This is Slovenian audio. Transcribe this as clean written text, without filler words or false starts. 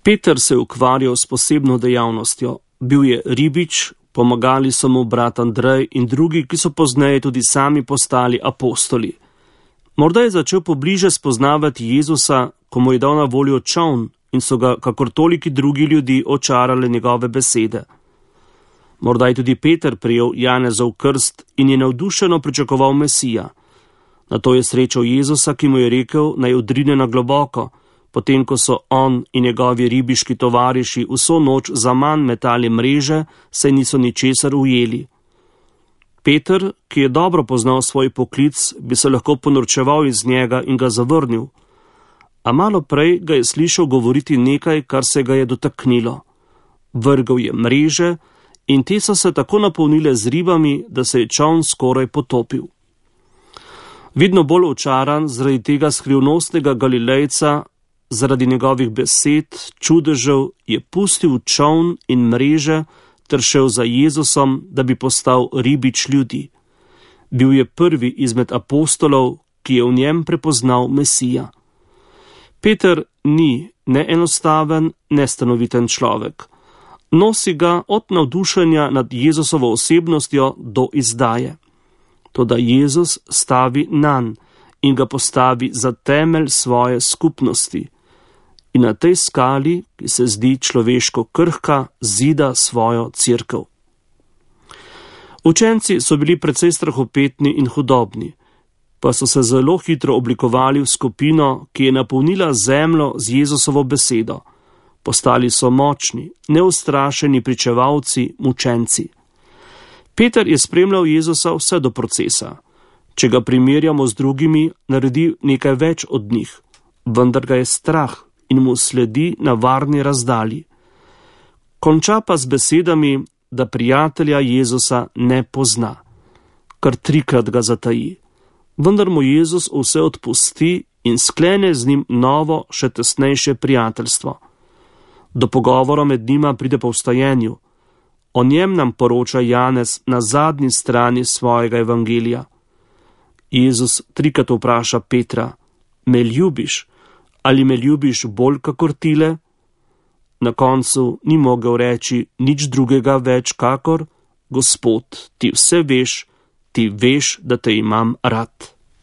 Peter se je ukvarjal s posebno dejavnostjo. Bil je ribič, pomagali so mu brat Andrej in drugi, ki so pozneje tudi sami postali apostoli. Morda je začel pobliže spoznavati Jezusa, ko mu je dal na voljo čoln in so ga, kakor toliki drugi ljudi, očarale njegove besede. Morda je tudi Peter prijel Janezov krst in je navdušeno pričakoval Mesija. Nato je srečal Jezusa, ki mu je rekel, naj odrine na globoko, potem ko so on in njegovi ribiški tovariši vso noč zaman metali mreže, saj niso ničesar ujeli. Peter, ki je dobro poznal svoj poklic, bi se lahko ponorčeval iz njega in ga zavrnil. A malo prej ga je slišal govoriti nekaj, kar se ga je dotaknilo. Vrgel je mreže in te so se tako napolnile z ribami, da se je čoln skoraj potopil. Vidno bolj očaran zaradi tega skrivnostnega Galilejca, zaradi njegovih besed, čudežev, je pustil čoln in mreže ter šel za Jezusom, da bi postal ribič ljudi. Bil je prvi izmed apostolov, ki je v njem prepoznal Mesija. Peter ni ne enostaven, ne stanoviten človek. Nosi ga od navdušenja nad Jezusovo osebnostjo do izdaje. Toda Jezus stavi nanj in ga postavi za temelj svoje skupnosti. In na tej skali, ki se zdi človeško krhka, zida svojo cerkev. Učenci so bili precej strahopetni in hudobni, pa so se zelo hitro oblikovali v skupino, ki je napolnila zemljo z Jezusovo besedo. Postali so močni, neustrašeni pričevalci, mučenci. Peter je spremljal Jezusa vse do procesa. Če ga primerjamo z drugimi, naredi nekaj več od njih, vendar ga je strah in mu sledi na varni razdalji. Konča pa z besedami, da prijatelja Jezusa ne pozna. Kar 3-krat ga zataji. Vendar mu Jezus vse odpusti in sklene z njim novo, še tesnejše prijateljstvo. Do pogovora med njima pride po vstajenju. O njem nam poroča Janez na zadnji strani svojega evangelija. Jezus 3-krat vpraša Petra, me ljubiš? Ali me ljubiš bolj kakor tile? Na koncu ni mogel reči nič drugega več kakor, Gospod, ti vse veš, ti veš, da te imam rad.